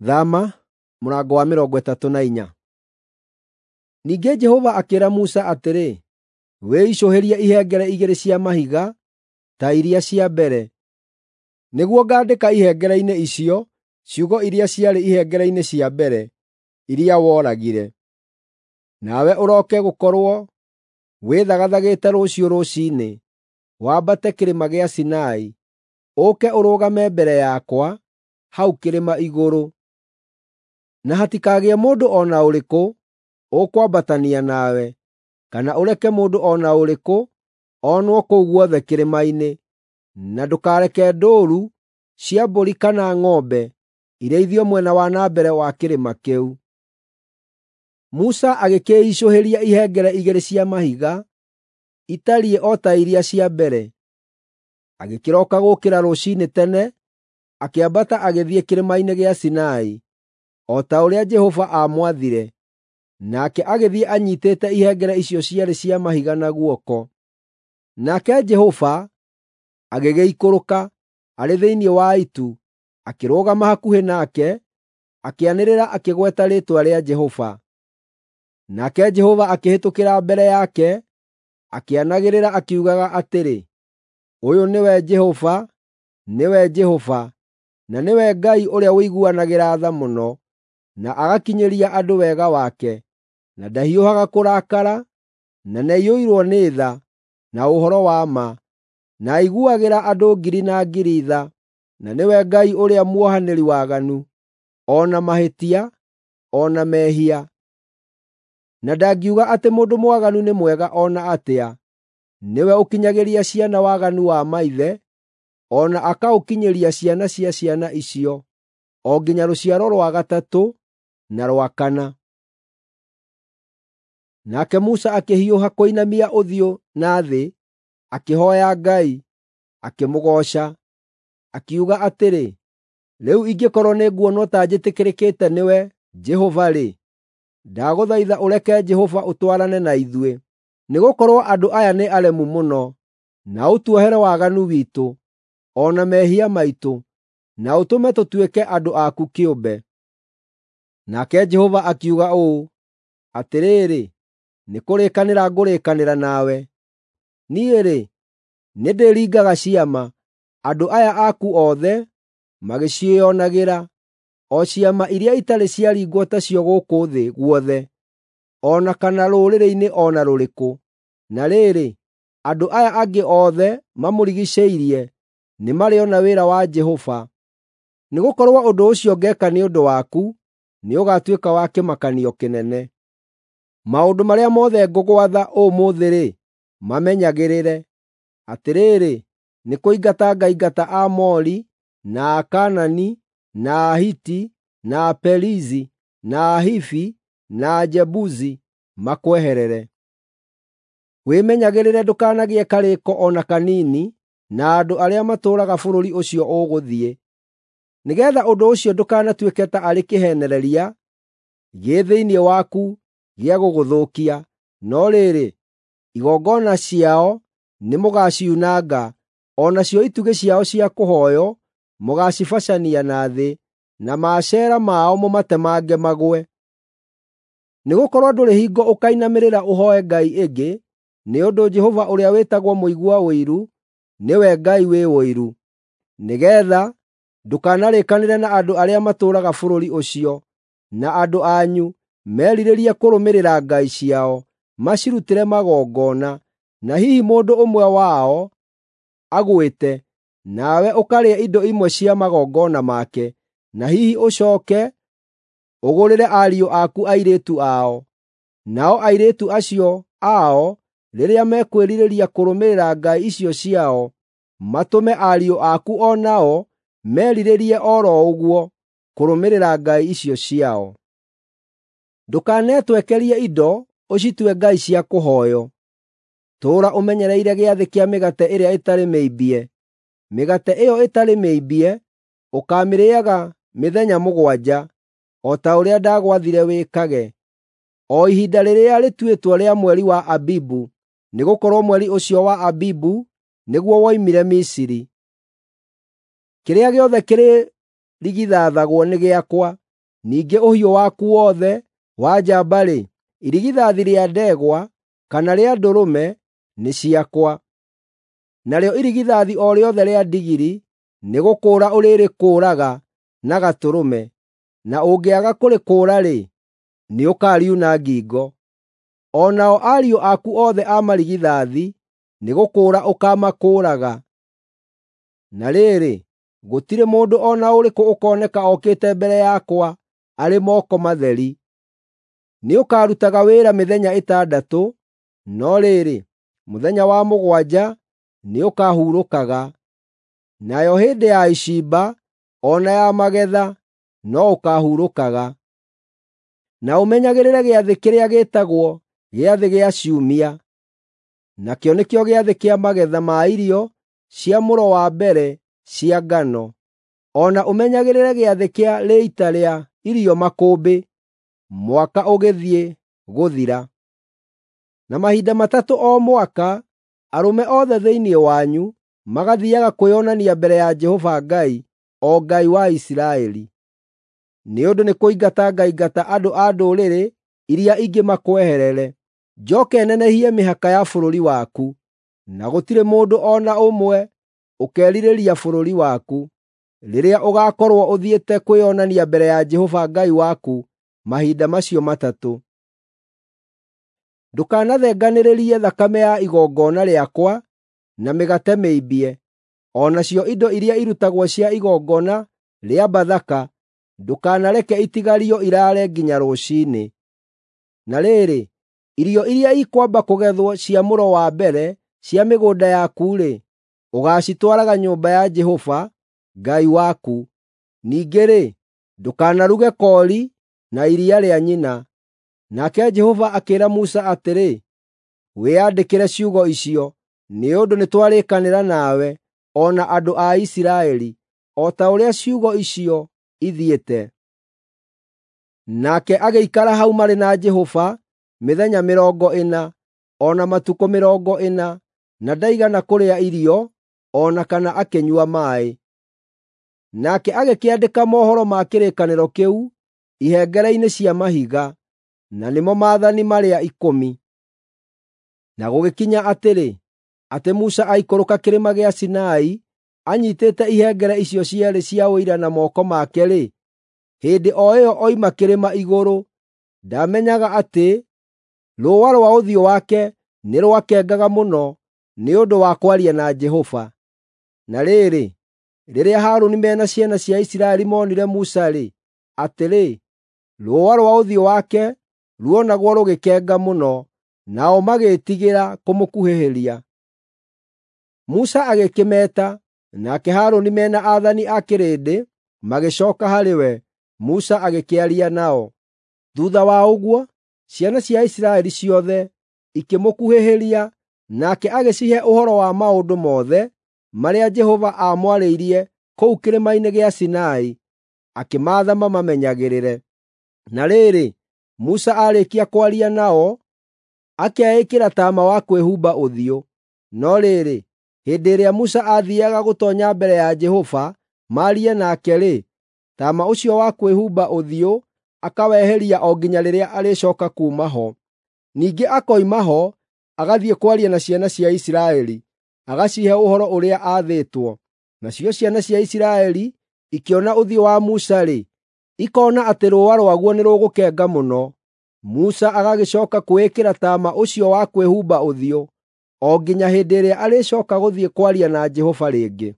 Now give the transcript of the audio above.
Thama mũrango wa 34. Ningĩ Jehova akĩĩra Musa atĩrĩ, “Wĩicũhĩrie ihengere igĩrĩ cia mahiga ta iria cia mbere, nĩguo ngaandĩka ihengere-inĩ icio ciugo iria ciarĩ ihengere-inĩ cia mbere, iria woragire. Nawe ũroke gũkorwo wĩthagathagĩte rũciũ rũciinĩ, wambate kĩrĩma gĩa Sinai, ũũke ũrũgame mbere yakwa hau kĩrĩma igũrũ. Na hatikagĩe mũndũ o na ũrĩkũ ũkwambatania nawe, kana ũreke mũndũ o na ũrĩkũ onwo kũu guothe kĩrĩma-inĩ, na ndũkareke ndũũru cia mbũri kana ng'ombe irĩithio mwena wa na mbere wa kĩrĩma kĩu.” Musa agĩkĩicũhĩria ihengere igĩrĩ cia mahiga, itariĩ o ta iria cia mbere. Agĩkĩroka gũũkĩra rũciinĩ tene, akĩambata agĩthiĩ kĩrĩma-inĩ gĩa Sinai, o ta ũrĩa Jehova aamwathire, nake agĩthiĩ anyiitĩte ihengere icio cierĩ cia mahiga na guoko. Nake Jehova agĩgĩikũrũka arĩ thĩinĩ wa itu, akĩrũgama hakuhĩ nake, akĩanĩrĩra akĩgweta rĩĩtwa rĩa Jehova. Nake Jehova akĩhĩtũkĩra mbere yake, akĩanagĩrĩra akiugaga atĩrĩ, “Ũyũ nĩwe Jehova, nĩwe Jehova, na nĩwe Ngai ũrĩa ũiguanagĩra tha mũno, na agakinyĩria andũ wega wake, na ndahiũhaga kũrakara, na nĩaiyũirwo nĩ tha na ũhoro wa ma, na aiguagĩra andũ ngiri na ngiri tha, na nĩwe Ngai ũrĩa muohanĩri waganu, o na mahĩtia, o na mehia. Na ndangiuga atĩ mũndũ mwaganu nĩ mwega o na atĩa, nĩwe ũkinyagĩria ciana waganu wa maithe, o na akaũkinyĩria ciana cia ciana icio, o nginya rũciaro rwa gatatũ na rwa kana. Nake Musa akĩhiũha kũinamia ũthiũ na thĩ, akĩhooya Ngai, akĩmũgooca, akiuga atĩrĩ, “Rĩu ingĩkorwo nĩnguonwo ta njĩtĩkĩrĩkĩte nĩwe, Jehova-rĩ, ndagũthaitha ũreke Jehova ũtwarane na ithuĩ. Nĩgũkorwo andũ aya nĩ aremu mũno, na ũtuohere waganu witũ, o na mehia maitũ, na ũtũme tũtuĩke andũ aku kĩũmbe.” Nake Jehova akiuga ũũ, “Atĩrĩrĩ, nĩkũrĩkanĩra ngũrĩkanĩra nawe. Niĩ-rĩ, nĩndĩringaga ciama, andũ aya aku othe magĩciĩonagĩra, o ciama iria itarĩ ciaringwo tacio gũkũ thĩ guothe, o na kana rũrĩrĩ-inĩ o na rũrĩkũ. Na rĩrĩ, andũ aya angĩ othe mamũrigiicĩirie nĩmarĩona wĩra wa Jehova, nĩgũkorwo ũndũ ũcio ngeeka nĩ ũndũ waku nĩũgatuĩka wa kĩmakanio kĩnene. Maũndũ marĩa mothe ngũgwatha ũmũthĩ-rĩ, mamenyagĩrĩre. Atĩrĩrĩ, nĩkũingata ngaingata Aamori, na Akaanani, na Ahiti, na Aperizi, na Ahivi, na Ajebusi makweherere. Wĩmenyagĩrĩre ndũkanagĩe karĩĩko o na kanini na andũ arĩa matũũraga bũrũri ũcio ũgũthiĩ, nĩgeetha ũndũ ũcio ndũkanatuĩke ta arĩ kĩheenereria gĩ thĩinĩ waku gĩa gũgũthũkia. No rĩrĩ, igongona ciao nĩmũgaciunanga, o nacio itugĩ ciao cia kũhooywo mũgaacibacania na thĩ, na maacera mao mũmatemange magũe. Nĩgũkorwo ndũrĩ hingo ũkainamĩrĩra ũhooe ngai ĩngĩ, nĩ ũndũ Jehova ũrĩa wĩtagwo mũigua ũiru nĩwe Ngai wĩ ũiru, nĩgeetha ndũkanarĩkanĩre na andũ arĩa matũũraga bũrũri ũcio, na andũ anyu merirĩrie kũrũmĩrĩra ngai ciao, macirutĩre magongona, na hihi mũndũ ũmwe wao agwĩte, nawe ũkarĩa indo imwe cia magongona make, na hihi ũcooke ũgũrĩre ariũ aku airĩtu ao. Nao airĩtu acio ao rĩrĩa mekwĩrirĩria kũrũmĩrĩra ngai icio ciao, matũme ariũ aku o nao merirĩrie o ro ũguo kũrũmĩrĩra ngai icio ciao. Ndũkanetwekerie indo ũcitue ngai cia kũhooywo. Tũũra ũmenyereire gĩathĩ kĩa mĩgate ĩrĩa ĩtarĩ mĩimbie. Mĩgate ĩyo ĩtarĩ mĩimbie ũkaamĩrĩĩaga mĩthenya mũgwanja, o ta ũrĩa ndagwathire wĩkage, o ihinda rĩrĩa rĩtuĩtwo rĩa mweri wa Abibu, nĩgũkorwo mweri ũcio wa Abibu nĩguo woimire Misiri. Kĩrĩa gĩothe kĩrĩrigithathagwo nĩ gĩakwa. Ningĩ ũhiũ waku wothe wa njamba-rĩ, irigithathi rĩa ndegwa kana rĩa ndũrũme nĩ ciakwa. Narĩo irigithathi o rĩothe rĩa ndigiri nĩgũkũũra ũrĩrĩkũũraga na gatũrũme, na ũngĩaga kũrĩkũũra-rĩ, nĩũkariuna ngingo. O nao ariũ aku othe a marigithathi nĩgũkũũra ũkaamakũũraga. Na rĩrĩ, gũtirĩ mũndũ o na ũrĩkũ ũkoneka okĩte mbere yakwa arĩ moko matheri. Nĩũkarutaga wĩra mĩthenya ĩtandatũ, no rĩrĩ, mũthenya wa mũgwanja nĩũkahurũkaga. Nayo hĩndĩ ya icimba o na ya magetha no ũkaahurũkaga. Na ũmenyagĩrĩre gĩathĩ kĩrĩa gĩĩtagwo Gĩathĩ gĩa Ciumia, nakĩo nĩkĩo gĩathĩ kĩa magetha ma irio cia mũro wa mbere cia ngano. O na ũmenyagĩrĩre gĩathĩ kĩa Rĩita rĩa Irio Makũmbĩ mwaka ũgĩthiĩ gũthira. Na mahinda matatũ o mwaka arũme othe thĩinĩ wanyu magathiiaga kwĩonania mbere ya Jehova Ngai, o Ngai wa Isiraeli. Nĩ ũndũ nĩkũingata ngaingata andũ a ndũrĩrĩ iria ingĩ makweherere, njooke nenehie mĩhaka ya bũrũri waku, na gũtirĩ mũndũ o na ũmwe ũkeerirĩria bũrũri waku, rĩrĩa ũgaakorwo ũthiĩte kwĩonania mbere ya Jehova Ngai waku mahinda macio matatũ. Ndũkanathenganĩrĩrie thakame ya igongona rĩakwa na mĩgate mĩimbie, o nacio indo iria irutagwo cia igongona rĩa Bathaka ndũkanareke itigario iraare nginya rũciinĩ. Na rĩrĩ, irio iria ikwamba kũgethwo cia mũro wa mbere cia mĩgũnda yaku-rĩ, ũgaacitwaraga nyũmba ya Jehova Ngai waku. Ningĩ-rĩ, ndũkanaruge koori na iria rĩa nyina. Nake Jehova akĩĩra Musa atĩrĩ, “Wĩyandĩkĩre ciugo icio, nĩ ũndũ nĩtwarĩkanĩra nawe o na andũ a Isiraeli, o ta ũrĩa ciugo icio ithiĩte.” Nake agĩikara hau marĩ na Jehova mĩthenya mĩrongo ĩna, o na matukũ mĩrongo ĩna, na ndaigana kũrĩa irio o na kana akĩnyua maaĩ. Nake agĩkĩandĩka mohoro ma kĩrĩkanĩro kĩu ihengere-inĩ cia mahiga, na nĩmo maathani marĩa ikũmi. Na gũgĩkinya atĩrĩ, atĩ Musa aikũrũka kĩrĩma gĩa Sinai anyiitĩte ihengere icio cierĩ cia Ũira na moko make-rĩ, hĩndĩ o ĩyo oima kĩrĩma igũrũ, ndaamenyaga atĩ rũũa rwa ũthiũ wake nĩ rwakengaga mũno nĩ ũndũ wa kwaria na Jehova. Na rĩrĩ, rĩrĩa Harũni me na ciana cia Isiraeli moonire Musa-rĩ, atĩrĩ, rũũa rwa ũthiũ wake ruonagwo rũgĩkenga mũno, nao magĩĩtigĩra kũmũkuhĩhĩria. Musa agĩkĩmeeta, nake Harũni me na aathani a kĩrĩndĩ magĩcooka harĩ we, Musa agĩkĩaria nao. Thuutha wa ũguo, ciana cia Isiraeli ciothe ikĩmũkuhĩhĩria, nake agĩcihe ũhoro wa maũndũ mothe marĩa Jehova aamwarĩirie kũu kĩrĩma-inĩ gĩa Sinai, akĩmaatha mamamenyagĩrĩre. Na rĩrĩ, Musa aarĩkia kwaria nao, akeĩkĩra taama wa kwĩhumba ũthiũ. No rĩrĩ, hĩndĩ ĩrĩa Musa aathiiaga gũtoonya mbere ya Jehova maarie nake-rĩ, taama ũcio wa kwĩhumba ũthiũ akaweheria o nginya rĩrĩa arĩcooka kuuma ho. Ningĩ akoima ho agathiĩ kwaria na ciana cia Isiraeli, agacihe ũhoro ũrĩa aathĩtwo. Nacio ciana cia Isiraeli ikĩona ũthiũ wa Musa-rĩ, ikoona atĩ rũũa rwaguo nĩrũgũkenga mũno. Musa agagĩcooka kwĩĩkĩra taama ũcio wa kwĩhumba ũthiũ o nginya hĩndĩ ĩrĩa arĩcooka gũthiĩ kwaria na Jehova rĩngĩ.